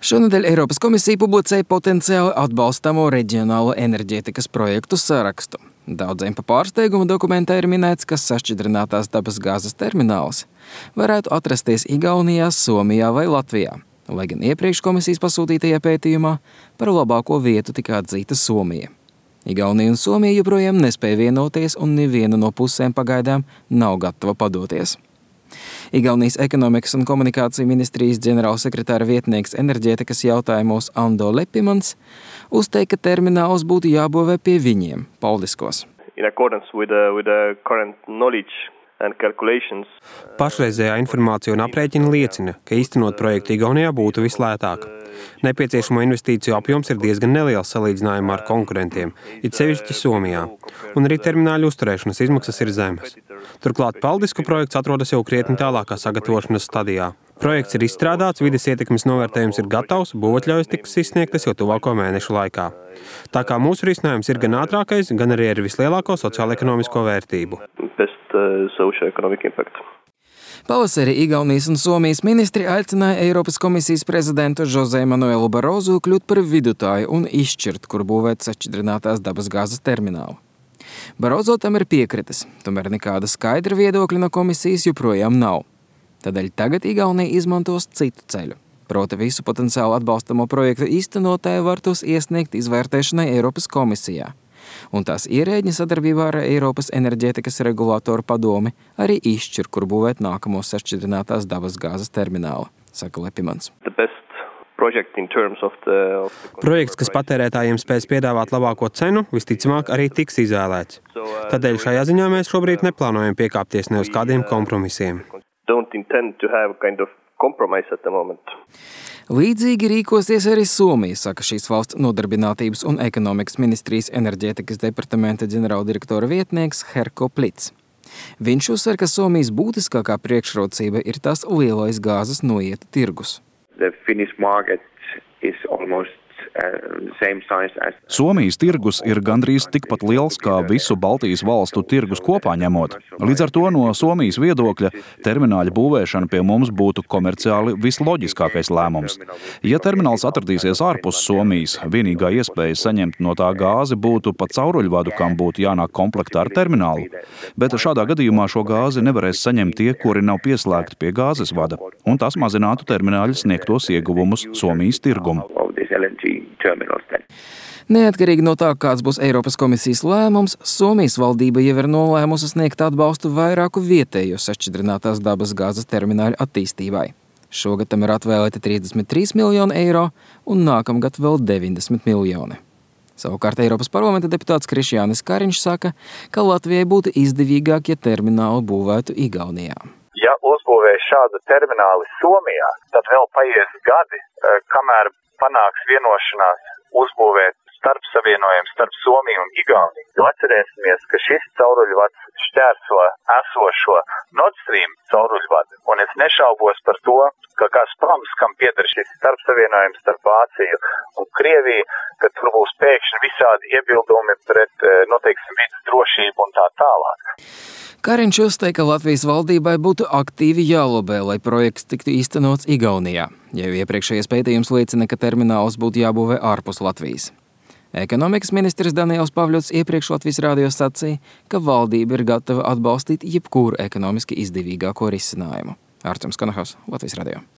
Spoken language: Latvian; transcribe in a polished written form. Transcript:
Šonedēļ Eiropas komisija publicēja potenciāli atbalstamo reģionālo enerģētikas projektu sarakstu. Daudziem pa pārsteigumu dokumentā ir minēts, ka sašķidrinātās dabas gāzes termināls varētu atrasties Igaunijā, Somijā vai Latvijā, lai gan iepriekš komisijas pasūtītajā pētījumā par labāko vietu tika atzīta Somija. Igaunija un Somija joprojām nespēja vienoties, un neviena no pusēm pagaidām nav gatava padoties. Igaunijas ekonomikas un komunikāciju ministrijas ģenerālsekretāra vietnieks enerģētikas jautājumos Ando Lepimans uzteica, ka termināls būtu jābūvē pie viņiem, Paldiskos. Pašreizējā informācija un aprēķina liecina, ka īstenot projektu Igaunijā būtu vislētāk. Nepieciešamo investīciju apjoms ir diezgan neliels salīdzinājumā ar konkurentiem, it sevišķi Somijā, un arī termināļu uzturēšanas izmaksas ir zemes. Turklāt Paldisku projekts atrodas jau krietni tālākā sagatavošanas stadijā. Projekts ir izstrādāts, vides ietekmes novērtējums ir gatavs, būvatļaujas tiks izsniegtas jau tuvāko mēnešu laikā. Tā kā mūsu risinājums ir gan ātrākais, gan arī ar vislielāko sociālo-ekonomisko vērtību. Pavasarī Igaunijas un Somijas ministri aicināja Eiropas komisijas prezidentu José Manuelu Barozu kļūt par vidutāju un izšķirt, kur būvēt sašķidrinātās dabas gāzes terminālu. Barozo tam ir piekritis, tomēr nekāda skaidra viedokļa no komisijas joprojām nav. Tādēļ tagad Igaunija izmantos citu ceļu. Proti visu potenciāli atbalstamo projektu īstenotāji var tos iesniegt izvērtēšanai Eiropas komisijā. Un tās ierēģi sadarbībā ar Eiropas enerģētikas regulātoru padomi arī izšķir, kur būvēt nākamo sašķidrinātās dabas gāzes terminālu, saka Lepimans. Projekts, kas patērētājiem spēs piedāvāt labāko cenu, visticamāk arī tiks izvēlēts. Tādēļ šajā ziņā mēs šobrīd neplānojam piekāpties ne uz kādiem kompromisiem. Līdzīgi rīkosies arī Somija, saka šīs valsts nodarbinātības un ekonomikas ministrijas enerģētikas departamenta ģenerāldirektora vietnieks Herko Plits. Viņš uzsver, ka Somijas būtiskākā priekšrocība ir tās lielais gāzes noieta tirgus. Somijas tirgus ir gandrīz tikpat liels kā visu Baltijas valstu tirgus kopā ņemot. Līdz ar to no Somijas viedokļa termināļa būvēšana pie mums būtu komerciāli visloģiskākais lēmums. Ja termināls atradīsies ārpus Somijas, vienīgā iespēja saņemt no tā gāzi būtu pa cauruļvadu, kam būtu jānāk komplektā ar terminālu. Bet šādā gadījumā šo gāzi nevarēs saņemt tie, kuri nav pieslēgti pie gāzes vada, un tas mazinātu termināļa sniegtos ieguvumus Somijas tirgumu. Neatkarīgi no tā, kāds būs Eiropas komisijas lēmums, Somijas valdība jau ir nolēmusi sniegt atbalstu vairāku vietējo sašķidrinātās dabas gāzes termināļu attīstībai. Šogad tam ir atvēlēti 33 miljoni eiro un nākamgad vēl 90 miljoni. Savukārt Eiropas parlamenta deputāts Krišjānis Kariņš saka, ka Latvijai būtu izdevīgāk, ja terminālu būvētu Igaunijā. Ja uzbūvēs šādu termināli Somijā, tad vēl paies gadi, kamēr panāks vienošanās uzbūvēt starpsavienojumu starp Somiju un Igauniju. Jo atcerēsimies, ka šis cauruļvads šķērso esošo Nord Stream cauruļvadu, un es nešaubos par to, ka Gazproms, kam pieder šis starpsavienojums starp Vāciju un Krieviju, ka tur būs pēkšņi visādi iebildumi pret, vidas drošību un tā tālāk. Kariņš uzteica, ka Latvijas valdībai būtu aktīvi jālobē, lai projekts tiktu īstenots Igaunijā, jo iepriekšējais pētījums liecina, ka termināls būtu jābūvē ārpus Latvijas. Ekonomikas ministrs Daniels Pavļots iepriekš Latvijas radio sacīja, ka valdība ir gatava atbalstīt jebkuru ekonomiski izdevīgāko risinājumu. Artjoms Konohaus, Latvijas radio.